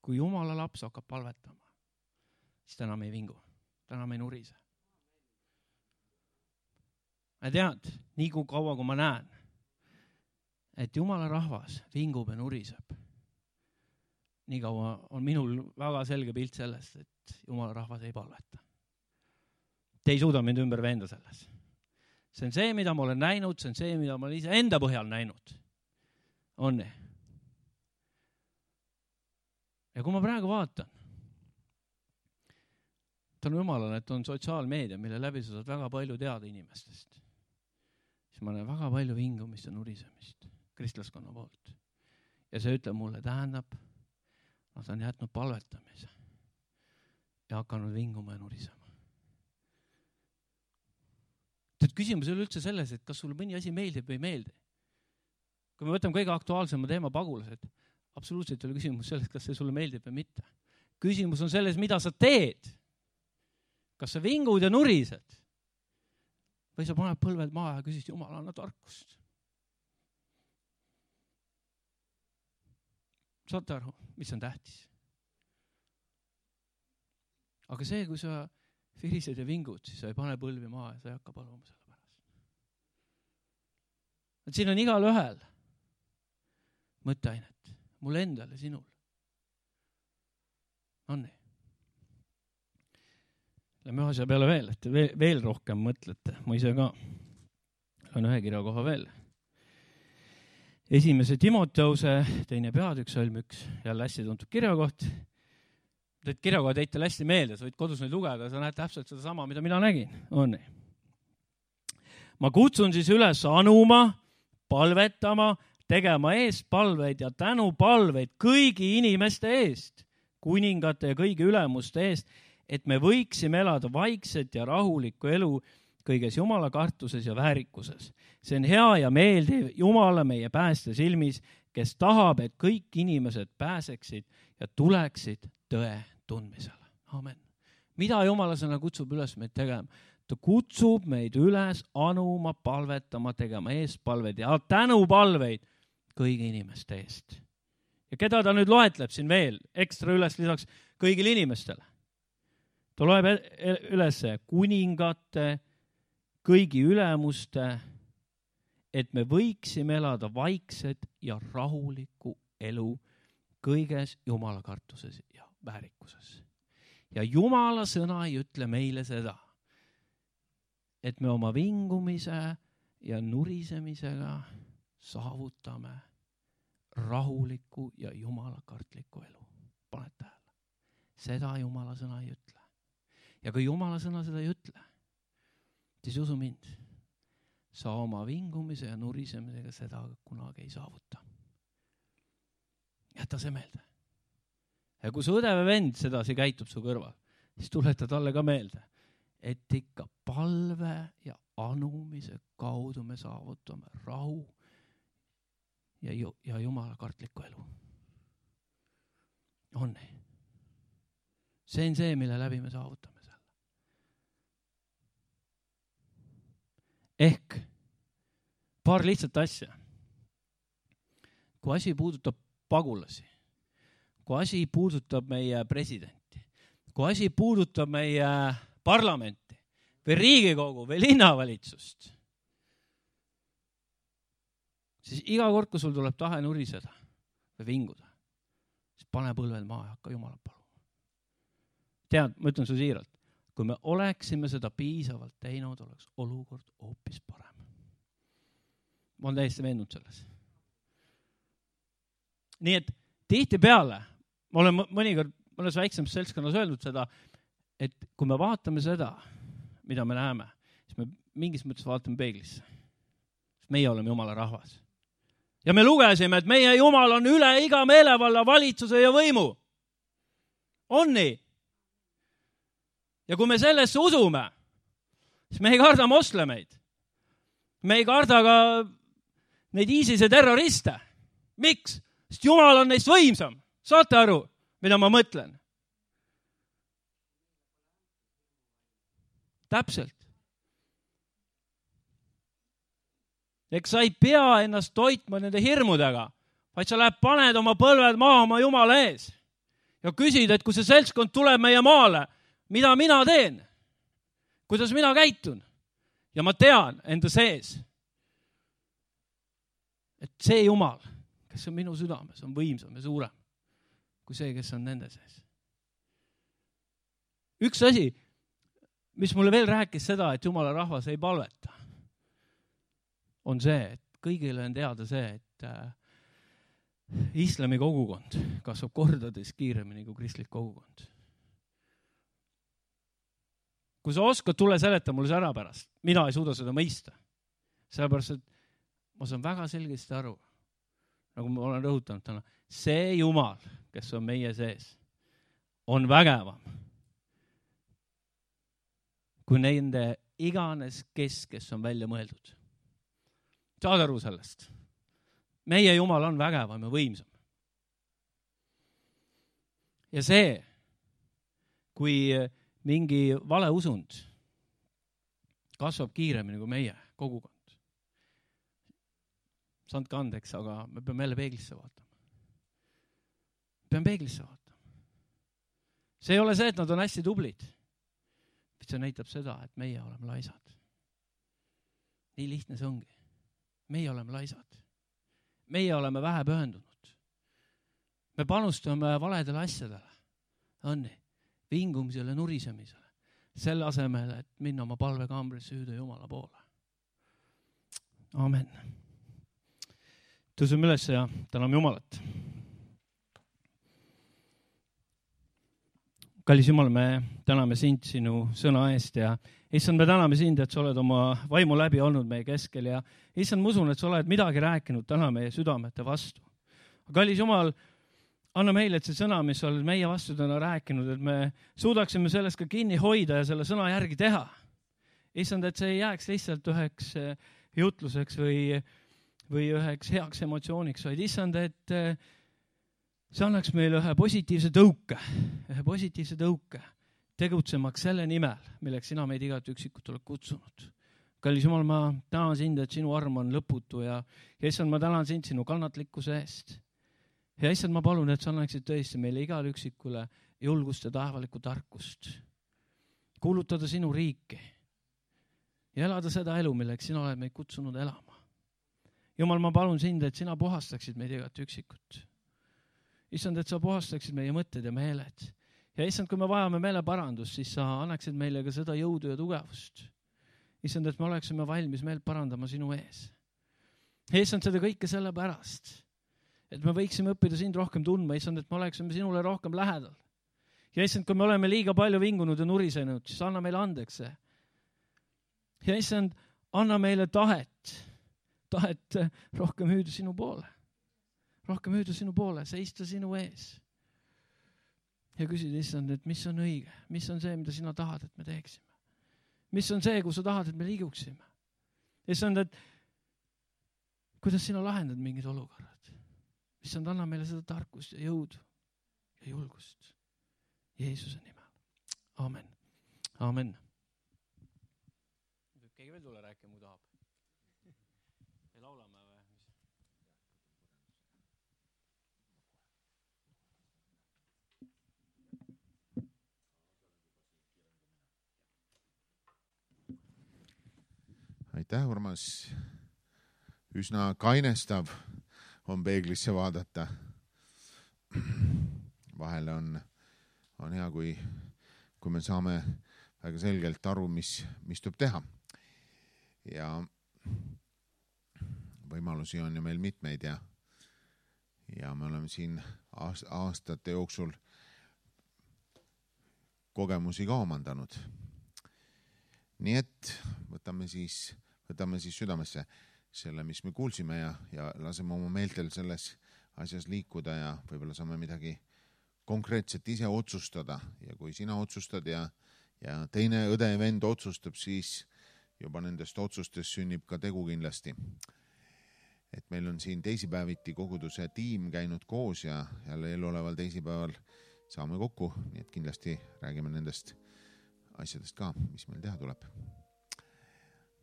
Kui Jumala laps hakkab palvetama, siis ta enam ei vingu, ta enam ei nurise. Ma tead, nii kui kaua, kui ma näen, et Jumala rahvas vingub ja nuriseb, nii kaua on minul väga selge pilt sellest, et Jumala rahvas ei palveta. Te ei suuda mind ümber veenda selles. See on see, mida ma olen näinud, see on see, mida ma olen ise enda põhjal näinud. On nii? Ja kui ma praegu vaatan, tänu Jumalale, et on sotsiaalmeedia, mille läbi sa saad väga palju teada inimestest, siis ma näen väga palju vingumist ja nurisemist kristlaskonna poolt. Ja see ütleb mulle, tähendab, nad on jätnud palvetamise ja hakanud vinguma ja nurisema. Tead, küsimus ei ole üldse selles, et kas sulle mõni asi meeldib või ei meeldi. Kui me võtame kõige aktuaalsema teema pagulased, absoluutselt ei ole küsimus selles, kas see sulle meeldib või mitte. Küsimus on selles, mida sa teed. Kas sa vingud ja nurised? Või sa paned põlved maha ja küsid, Jumal, anna tarkust. Saate aru, mis on tähtis? Aga see, kui sa virised ja vingud, siis sa ei pane põlvi maha ja sa ei hakka paluma selle pärast. Et siin on igal ühel mõtteainet. Mulle endale, sinul. On nii. Lähme ühe asja peale veel, et veel rohkem mõtlete. Ma ise ka on ühe kirja koha veel. 1. Timoteuse 2. peatükk, salm 1, jälle hästi tuntud kirjakoht. Teid kirjakohad teid hästi meelde, sa võid kodus neid lugeda, sa näed täpselt seda sama, mida mina nägin. On nii. Ma kutsun siis üles anuma, palvetama, tegema eestpalveid ja tänupalveid kõigi inimeste eest, kuningate ja kõigi ülemuste eest, et me võiksime elada vaikset ja rahulikku elu kõiges Jumala kartuses ja väärikuses. See on hea ja meeldiv Jumala meie päästja silmis, kes tahab, et kõik inimesed pääseksid ja tuleksid tõe tundmisele. Amen. Mida Jumala sõna kutsub üles meid tegema? Ta kutsub meid üles anuma, palvetama, tegema eestpalveid ja tänupalveid kõigi inimeste eest. Ja keda ta nüüd loetleb siin veel ekstra üles lisaks kõigile inimestele? Ta loeb üles kuningate, kõigi ülemuste, et me võiksime elada vaikset ja rahulikku elu kõiges Jumala kartuses ja väärikuses. Ja Jumala sõna ei ütle meile seda, et me oma vingumise ja nurisemisega saavutame rahuliku ja jumalakartliku elu. Paned tähele. Seda Jumala sõna ei ütle. Ja kui Jumala sõna seda ei ütle, siis usu mind, sa oma vingumise ja nurisemisega seda kunagi ei saavuta. Jäta see meelde. Ja kui su õde või vend sedasi käitub su kõrval, siis tuleta talle ka meelde, et ikka palve ja anumise kaudu me saavutame rahu ja Jumala kartlikku elu. On. See on see, mille läbi me saavutame selle. Ehk paar lihtsat asja. Kui asi puudutab pagulasi, kui asi puudutab meie presidenti, kui asi puudutab meie parlamenti või Riigikogu või linnavalitsust, siis iga kord, kui sul tuleb tahe nuriseda või vinguda, siis pane põlved maha ja hakka Jumalat paluma. Tead, ma ütlen su siiralt, kui me oleksime seda piisavalt teinud, oleks olukord hoopis parem. Ma olen täiesti veendunud selles. Nii et tihtipeale, ma olen mõnikord mõnes väiksemas seltskonnas öeldud seda, et kui me vaatame seda, mida me näeme, siis me mingis mõttes vaatame peeglisse. Meie oleme Jumala rahvas. Ja me lugesime, et meie Jumal on üle iga meelevalla, valitsuse ja võimu. On nii? Ja kui me sellesse usume, siis me ei karda moslemeid. Me ei karda ka neid ISISe terroriste. Miks? Sest Jumal on neist võimsam. Saate aru, mida ma mõtlen? Täpselt. Eks sa ei pea ennast toitma nende hirmudega, vaid sa läheb, paned oma põlved maha oma Jumala ees ja küsid, et kui see seltskond tuleb meie maale, mida mina teen? Kuidas mina käitun? Ja ma tean enda sees, et see Jumal, kes on minu südames, on võimsam ja suurem kui see, kes on nende sees. Üks asi, mis mulle veel rääkis seda, et Jumala rahvas ei palveta, on see, et kõigile on teada see, et islami kogukond kasvab kordades kiiremini kui kristlik kogukond. Kui sa oskad, tule seleta mulle see ära pärast. Mina ei suuda seda mõista. Sellepärast, et ma saan väga selgesti aru, nagu ma olen rõhutanud täna, see Jumal, kes on meie sees, on vägevam kui nende iganes kes on välja mõeldud. Saad aru sellest? Meie Jumal on vägevam ja võimsam. Ja see, kui mingi valeusund kasvab kiiremini kui meie kogukond. Saandke andeks, aga me peame jälle peeglisse vaatama. Peame peeglisse vaatama. See ei ole see, et nad on hästi tublid. See näitab seda, et meie oleme laisad. Nii lihtne see ongi. Meie oleme laisad. Meie oleme vähe pühendunud. Me panustame valedele asjadele. Õnni, vingumisele, nurisemisele. Selle asemel, et minna oma palvekaambrisse hüüda Jumala poole. Amen. Tõuseme üles ja täname Jumalat. Kallis Jumal, me täname sind sinu sõna eest ja issand, me täname sind, et sa oled oma vaimu läbi olnud meie keskel ja issand, ma usun, et sa oled midagi rääkinud täna meie südamete vastu. Kallis Jumal, anna meile, et see sõna, mis sa oled meie vastu täna rääkinud, et me suudaksime sellest ka kinni hoida ja selle sõna järgi teha. Issand, et see ei jääks lihtsalt üheks jutluseks või üheks heaks emotsiooniks, vaid issand, et see annaks meile ühe positiivse tõuke tegutsemaks selle nimel, milleks sina meid igat üksikut oled kutsunud. Kallis Jumal, ma tänan sind, et sinu arm on lõputu ja issand, ma tänan sind sinu kannatlikkuse eest. Ja issand, ma palun, et sa annaksid tõesti meile igal üksikule julgust ja taevalikku tarkust. Kuulutada sinu riiki ja elada seda elu, milleks sina oled meid kutsunud elama. Jumal, ma palun sind, et sina puhastaksid meid igat üksikut. Issand, et sa puhastaksid meie mõtted ja meeled. Ja issand, kui me vajame meeleparandust, siis sa annaksid meile ka seda jõudu ja tugevust. Issand, et me oleksime valmis meelt parandama sinu ees. Ja issand, seda kõike sellepärast, et me võiksime õppida sind rohkem tundma. Issand, et me oleksime sinule rohkem lähedal. Ja issand, kui me oleme liiga palju vingunud ja nurisenud, siis anna meile andeks see. Ja issand, anna meile tahet rohkem hüüda sinu poole. Rohkem hüüda sinu poole, seista sinu ees. Ja küsid, issand, et mis on õige, mis on see, mida sina tahad, et me teeksime. Mis on see, kus sa tahad, et me liiguksime. Issand, et kuidas sina lahendad mingid olukorrad. Issand, anna meile seda tarkust ja jõudu ja julgust. Jeesuse nimel. Amen. Amen. Keegi veel tule rääkima, kui tahab. Ja laulame või? Aitäh, Urmas. Üsna kainestav on peeglisse vaadata. Vahel on hea, kui me saame väga selgelt aru, mis tuleb teha. Ja võimalusi on ju meil mitmeid ja me oleme siin aastate jooksul kogemusi ka omandanud. Nii et võtame siis südamesse selle, mis me kuulsime ja laseme oma meeltel selles asjas liikuda ja võib-olla saame midagi konkreetset ise otsustada. Ja kui sina otsustad ja teine õde ja vend otsustab, siis juba nendest otsustest sünnib ka tegu kindlasti. Et meil on siin teisipäeviti koguduse tiim käinud koos ja jälle eluoleval teisipäeval saame kokku, nii et kindlasti räägime nendest asjadest ka, mis meil teha tuleb.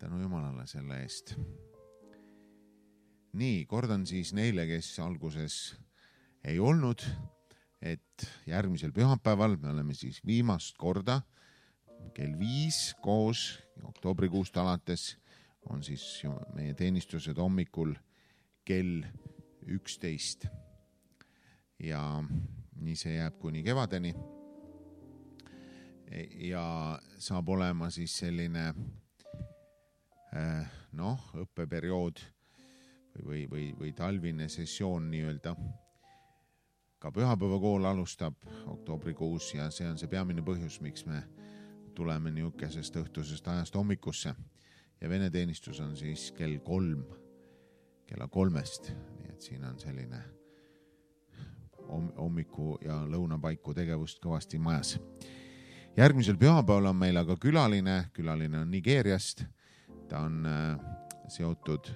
Tänu Jumalale selle eest. Nii, kordan siis neile, kes alguses ei olnud, et järgmisel pühapäeval me oleme siis viimast korda kell 5 koos, oktoobrikuust alates on siis meie teenistused hommikul kell 11. Ja nii see jääb kuni kevadeni. Ja saab olema siis selline õppeperiood või talvine sessioon nii-öelda. Ka pühapäevakool alustab oktoobrikuus ja see on see peamine põhjus, miks me tuleme niisugusest õhtusest ajast hommikusse. Ja vene teenistus on siis kella 3. Nii et siin on selline hommiku ja lõunapaiku tegevust kõvasti majas. Järgmisel pühapäeval on meil aga külaline on Nigeeriast. Ta on seotud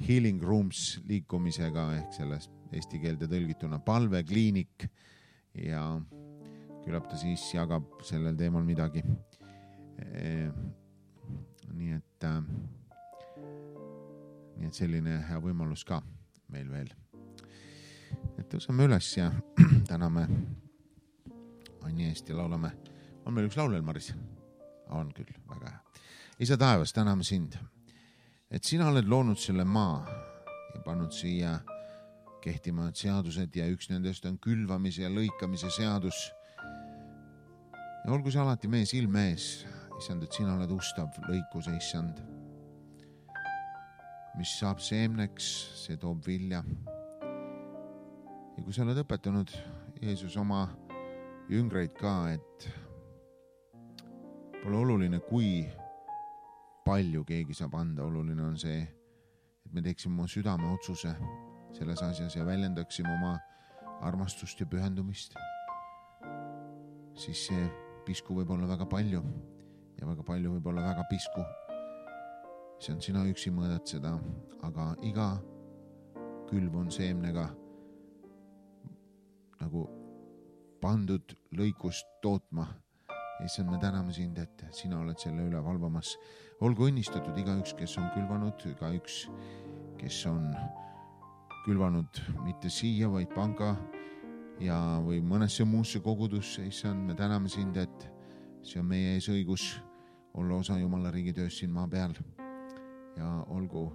Healing Rooms liikumisega ehk sellest eesti keelde tõlgituna palvekliinik ja küllap ta siis jagab sellel teemal midagi. Nii et selline hea võimalus ka meil veel. Et tõuseme üles ja täname Anni eest ja laulame. On meil üks laul veel, Maris? On küll, väga hea. Isa taevas, täname sind, et sina oled loonud selle maa ja pannud siia kehtima seadused ja üks nendest on külvamise ja lõikamise seadus. Ja olgu see alati meie silme ees, issand, et sina oled ustav lõikuse, issand. Mis saab seemneks, see toob vilja. Ja kui sa oled õpetanud, Jeesus, oma jüngreid ka, et pole oluline, kui palju keegi saab anda, oluline on see, et me teeksime oma südame otsuse selles asjas ja väljendaksime oma armastust ja pühendumist. Siis see pisku võib olla väga palju ja väga palju võib olla väga pisku. See on sina üksi mõõdad seda, aga iga külv on seemnega nagu pandud lõikust tootma. Issand, me täname sind, et sina oled selle üle valvamas. Olgu õnnistatud igaüks, kes on külvanud, igaüks, kes on külvanud mitte siia, vaid panga ja või mõnesse muusse kogudusse. Issand, me täname sind, et see on meie ees õigus olla osa Jumala riigi töös siin maa peal. Ja olgu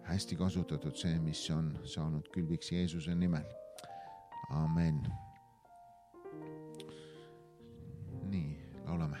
hästi kasutatud see, mis on saanud külviks Jeesuse nimel. Amen. Nii, laulame.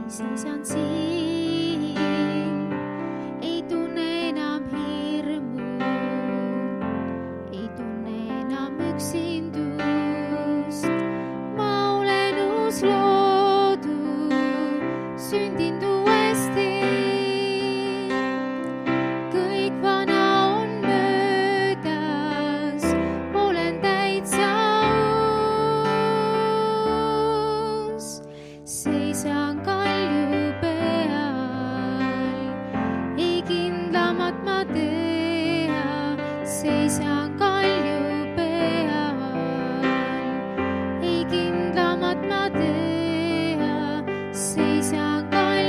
Siis on siin, ei tunne enam hirmu, ei tunne enam üksindust. Ma olen uus loodu, sündinud uuesti. Kõik vana on möödas, olen täitsa uus. Seisan seisan kalju peal, ei kindlamat ma tea, seisan kalju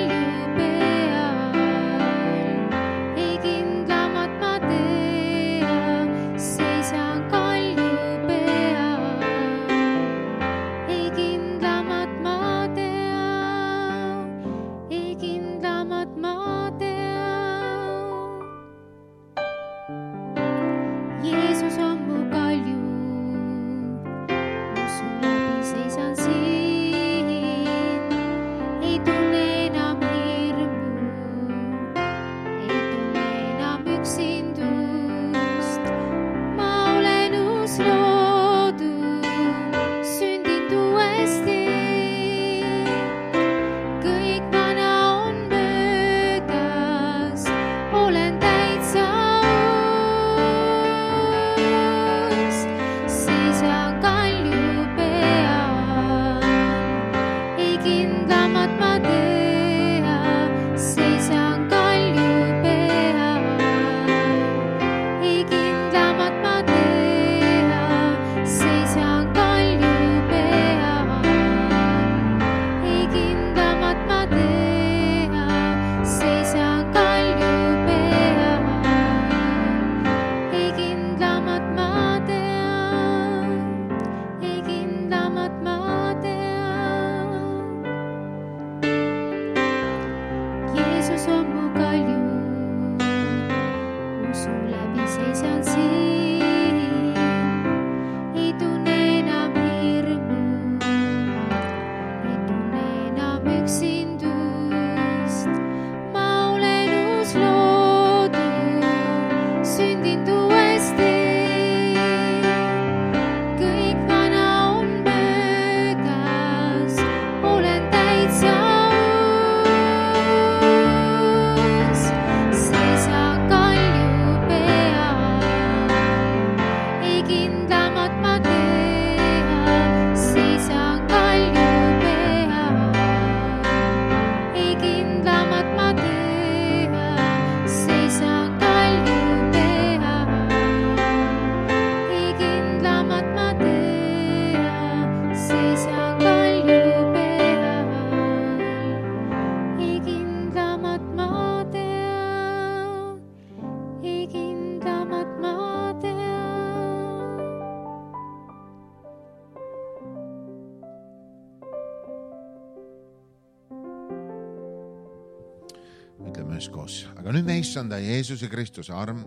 ütleme üheskoos. Aga nüüd me issanda Jeesuse Kristuse arm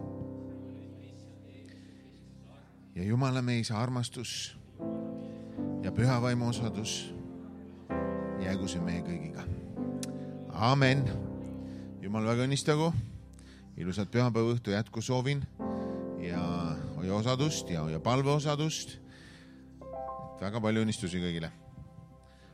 ja Jumala meie isa armastus ja püha vaimu osadus jäägu see meie kõigiga. Amen. Jumal väga õnnistagu. Ilusat pühapäeva õhtu jätku soovin ja hoia osadust ja hoia palve osadust. Väga palju õnnistusi kõigile.